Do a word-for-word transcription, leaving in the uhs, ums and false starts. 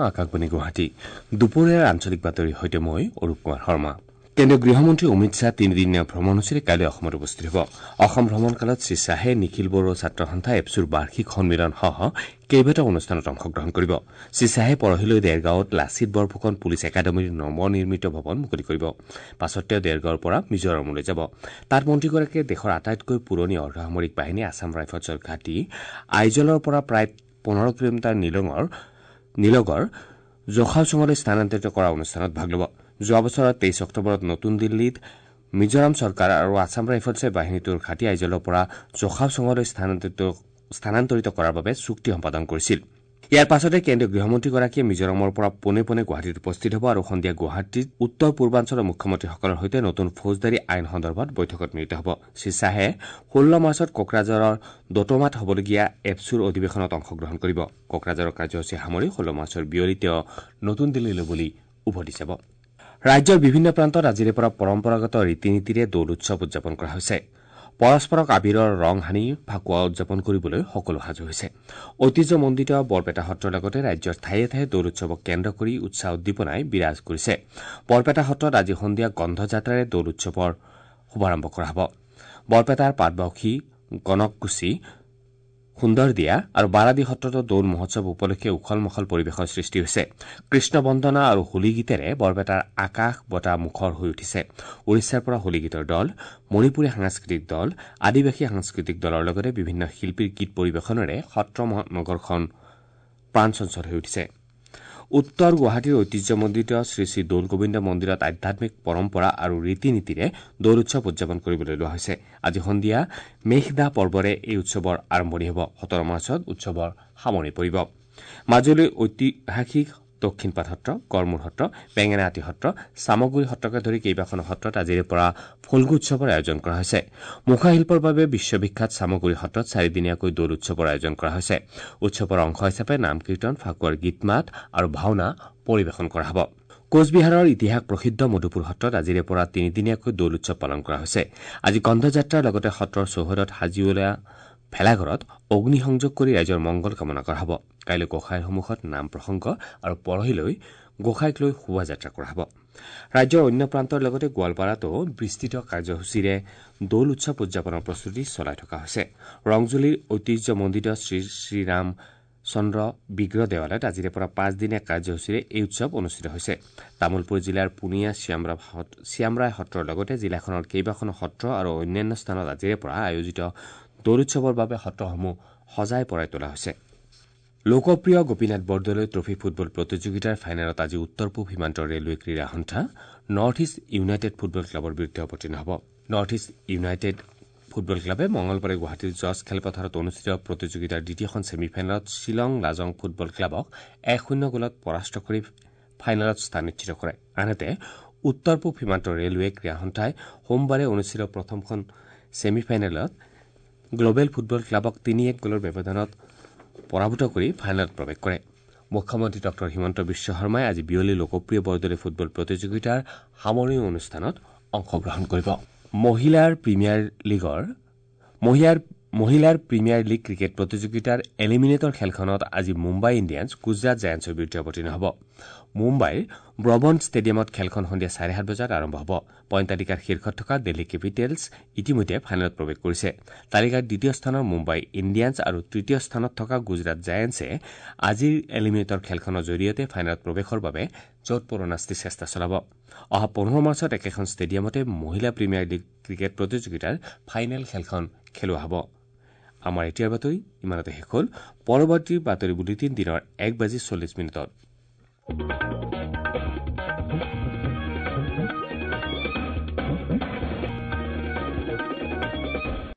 আকাশবাণী গুৱাহাটী। দুপৰীয়াৰ আঞ্চলিক বাতৰিৰ সৈতে মই অৰূপ কুমাৰ শৰ্মা। কেন্দ্ৰীয় গৃহমন্ত্ৰী অমিত শ্বাহ তিনিদিনীয়া ভ্ৰমণসূচীৰে কাইলৈ অসমত উপস্থিত হ'ব। অসম ভ্ৰমণকালত শ্ৰীশ্বাহে নিখিল বড়ো ছাত্ৰ সন্থা এপছুৰ বাৰ্ষিক সন্মিলনসহ কেইবাটাও অনুষ্ঠানত অংশগ্ৰহণ কৰিব। শ্ৰীশ্বাহে পৰহিলৈ দেৰগাঁৱত লাচিত বৰফুকন পুলিচ একাডেমীৰ নৱনিৰ্মিত ভৱন মুকলি কৰিব। পাছত তেওঁ দেৰগাঁৱৰ পৰা মিজোৰামলৈ যাব। তাত মন্ত্ৰীগৰাকীয়ে দেশৰ আটাইতকৈ পুৰণি অৰ্ধসামৰিক বাহিনী আছাম ৰাইফলছৰ ঘাটি আইজলৰ পৰা প্ৰায় পোন্ধৰ কিলোমিটাৰ নিলঙৰ নিলগৰ জোখাওচুঙলৈ স্থানান্তৰিত কৰা অনুষ্ঠানত ভাগ ল'ব। যোৱা বছৰৰ তেইছ অক্টোবৰত নতুন দিল্লীত মিজোৰাম চৰকাৰ আৰু আছাম ৰাইফলছে বাহিনীটোৰ ঘাটি আইজলৰ পৰা জোখাওচুঙলৈ স্থানান্তৰিত কৰাৰ বাবে চুক্তি সম্পাদন কৰিছিল। ইয়াৰ পাছতে কেন্দ্ৰীয় গৃহমন্ত্ৰীগৰাকীয়ে মিজোৰামৰ পৰা পোনে পোনে গুৱাহাটীত উপস্থিত হ'ব আৰু সন্ধিয়া গুৱাহাটীত উত্তৰ পূৰ্বাঞ্চলৰ মুখ্যমন্ত্ৰীসকলৰ সৈতে নতুন ফৌজদাৰী আইন সন্দৰ্ভত বৈঠকত মিলিত হ'ব। শ্ৰীশ্বাহে ষোল্ল মাৰ্চত কোকৰাঝাৰৰ দোতমাত হ'বলগীয়া এপছুৰ অধিৱেশনত অংশগ্ৰহণ কৰিব। কোকৰাঝাৰৰ কাৰ্যসূচী সামৰি ষোল্ল মাৰ্চৰ বিয়লি তেওঁ নতুন দিল্লীলৈ বুলি উভতি যাব। ৰাজ্যৰ বিভিন্ন প্ৰান্তত আজিৰে পৰা পৰম্পৰাগত ৰীতি নীতিৰে দৌল উৎসৱ উদযাপন কৰা হৈছে। পৰস্পৰক আবিৰৰ ৰং সানি ফাকুৱা উদযাপন কৰিবলৈ সকলো সাজু হৈছে। ঐতিহ্যমণ্ডিত বৰপেটা সত্ৰৰ লগতে ৰাজ্যৰ ঠায়ে ঠায়ে দৌল উৎসৱক কেন্দ্ৰ কৰি উৎসাহ উদ্দীপনাই বিৰাজ কৰিছে। বৰপেটা সত্ৰত আজি সন্ধিয়া গন্ধযাত্ৰাৰে দৌল উৎসৱৰ শুভাৰম্ভ কৰা হ'ব। বৰপেটাৰ পাটবাউসী, গণককুছি, সুন্দৰদিয়া আৰু বাৰাদি সত্ৰতো দৌল মহোৎসৱ উপলক্ষে উখল মাখল পৰিৱেশৰ সৃষ্টি হৈছে। কৃষ্ণ বন্দনা আৰু হোলী গীতেৰে বৰপেটাৰ আকাশ বতাহ মুখৰ হৈ উঠিছে। উৰিষ্যাৰ পৰা হোলী গীতৰ দল, মণিপুৰী সাংস্কৃতিক দল, আদিবাসী সাংস্কৃতিক দলৰ লগতে বিভিন্ন শিল্পীৰ গীত পৰিৱেশনেৰে সত্ৰ নগৰখন প্ৰাণচঞ্চল হৈ উঠিছে। উত্তৰ গুৱাহাটীৰ ঐতিহ্যমণ্ডিত শ্ৰীশ্ৰী দৌল গোবিন্দ মন্দিৰত আধ্যাত্মিক পৰম্পৰা আৰু ৰীতি নীতিৰে দৌল উৎসৱ উদযাপন কৰিবলৈ লোৱা হৈছে। আজি সন্ধিয়া মেঘদাহ পৰ্বৰে এই উৎসৱৰ আৰম্ভণি হ'ব। সোতৰ মাৰ্চত উৎসৱৰ সামৰণি পৰিব। মাজুলীৰ ঐতিহাসিক দক্ষিণপাট সত্ৰ, গড়মূৰ সত্ৰ, বেঙেনাআটী সত্ৰ, চামগুৰি সত্ৰকে ধৰি কেইবাখনো সত্ৰত আজিৰে পৰা ফল্গু উৎসৱৰ আয়োজন কৰা হৈছে। মুখাশিল্পৰ বাবে বিশ্ববিখ্যাত চামগুৰি সত্ৰত চাৰিদিনীয়াকৈ দৌল উৎসৱৰ আয়োজন কৰা হৈছে। উৎসৱৰ অংশ হিচাপে নাম কীৰ্তন, ফাকুৱাৰ গীত মাত আৰু ভাওনা পৰিৱেশন কৰা হ'ব। কোচবিহাৰৰ ইতিহাস প্ৰসিদ্ধ মধুপুৰ সত্ৰত আজিৰে পৰা তিনিদিনীয়াকৈ দৌল উৎসৱ পালন কৰা হৈছে। আজি গন্ধযাত্ৰাৰ লগতে সত্ৰৰ চৌহদত সাজি উলিওৱা ভেলাঘৰত অগ্নিসংযোগ কৰি ৰাইজৰ মংগল কামনা কৰা হ'ব। কাইলৈ গোসাঁইৰ সন্মুখত নাম প্ৰসংগ আৰু পৰহিলৈ গোসাঁইক লৈ শোভাযাত্ৰা কৰা হ'ব। ৰাজ্যৰ অন্য প্ৰান্তৰ লগতে গোৱালপাৰাতো বিস্তৃত কাৰ্যসূচীৰে দৌল উৎসৱ উদযাপনৰ প্ৰস্তুতি চলাই থকা হৈছে। ৰংজুলিৰ ঐতিহ্যমণ্ডিত শ্ৰী শ্ৰীৰাম চন্দ্ৰ বিগ্ৰহ দেৱালয়ত আজিৰে পৰা পাঁচদিনীয়া কাৰ্যসূচীৰে এই উৎসৱ অনুষ্ঠিত হৈছে। তামুলপুৰ জিলাৰ পুনিয়া শ্যামৰায় সত্ৰৰ লগতে জিলাখনৰ কেইবাখনো সত্ৰ আৰু অন্যান্য স্থানত আজিৰে পৰা আয়োজিত দৌল উৎসৱৰ বাবে সত্ৰসমূহ সজাই পৰাই তোলা হৈছে। লোকপ্ৰিয় গোপীনাথ বৰদলৈ ট্ৰফী ফুটবল প্ৰতিযোগিতাৰ ফাইনেলত আজি উত্তৰ পূব সীমান্ত ৰেলৱে ক্ৰীড়া সন্থা নৰ্থ ইষ্ট ইউনাইটেড ফুটবল ক্লাবৰ বিৰুদ্ধে অৱতীৰ্ণ হ'ব। নৰ্থ ইষ্ট ইউনাইটেড ফুটবল ক্লাবে মঙলবাৰে গুৱাহাটীৰ জজ খেলপথাৰত অনুষ্ঠিত প্ৰতিযোগিতাৰ দ্বিতীয়খন ছেমিফাইনেলত শ্বিলং লাজং ফুটবল ক্লাবক এক শূন্য গ'লত পৰাস্ত কৰি ফাইনেলত স্থান নিশ্চিত কৰে। আনহাতে উত্তৰ পূব সীমান্ত ৰেলৱে ক্ৰীড়া সন্থাই সোমবাৰে অনুষ্ঠিত প্ৰথমখন ছেমিফাইনেলত গ্লবেল ফুটবল ক্লাবক তিনি এক গ'লৰ ব্যৱধানত পৰাভূত কৰি ফাইনেলত প্ৰৱেশ কৰে। মুখ্যমন্ত্ৰী ডঃ হিমন্ত বিশ্ব শৰ্মাই আজি বিয়লি লোকপ্ৰিয় বৰদলৈ ফুটবল প্ৰতিযোগিতাৰ সামৰণি অনুষ্ঠানত অংশগ্ৰহণ কৰিব। মহিলাৰ প্ৰিমিয়াৰ লীগৰ মহিলাৰ মহিলাৰ প্ৰিমিয়াৰ লীগ ক্ৰিকেট প্ৰতিযোগিতাৰ এলিমিনেটৰ খেলখনত আজি মুম্বাই ইণ্ডিয়ানছ গুজৰাট জায়েণ্টছৰ বিৰুদ্ধে অৱতীৰ্ণ হ'ব। মুম্বাইৰ ব্ৰবন ষ্টেডিয়ামত খেলখন সন্ধিয়া চাৰে সাত বজাত আৰম্ভ হ'ব। পইণ্ট তালিকাৰ শীৰ্ষত থকা দিল্লী কেপিটেলছ ইতিমধ্যে ফাইনেলত প্ৰৱেশ কৰিছে। তালিকাৰ দ্বিতীয় স্থানৰ মুম্বাই ইণ্ডিয়ানছ আৰু তৃতীয় স্থানত থকা গুজৰাট জায়েণ্টছে আজিৰ এলিমিনেটৰ খেলখনৰ জৰিয়তে ফাইনেলত প্ৰৱেশৰ বাবে যৎপৰোনাস্তি চেষ্টা চলাব। অহা পোন্ধৰ মাৰ্চত একেখন ষ্টেডিয়ামতে মহিলা প্ৰিমিয়াৰ লীগ ক্ৰিকেট প্ৰতিযোগিতাৰ ফাইনেল খেলখন খেলোৱা হ'ব। আমাৰ এতিয়াৰ বাতৰি ইমানতে শেষ হ'ল। পৰৱৰ্তী বাতৰি বুলেটিন দিনৰ এক বাজি চল্লিছ মিনিটত।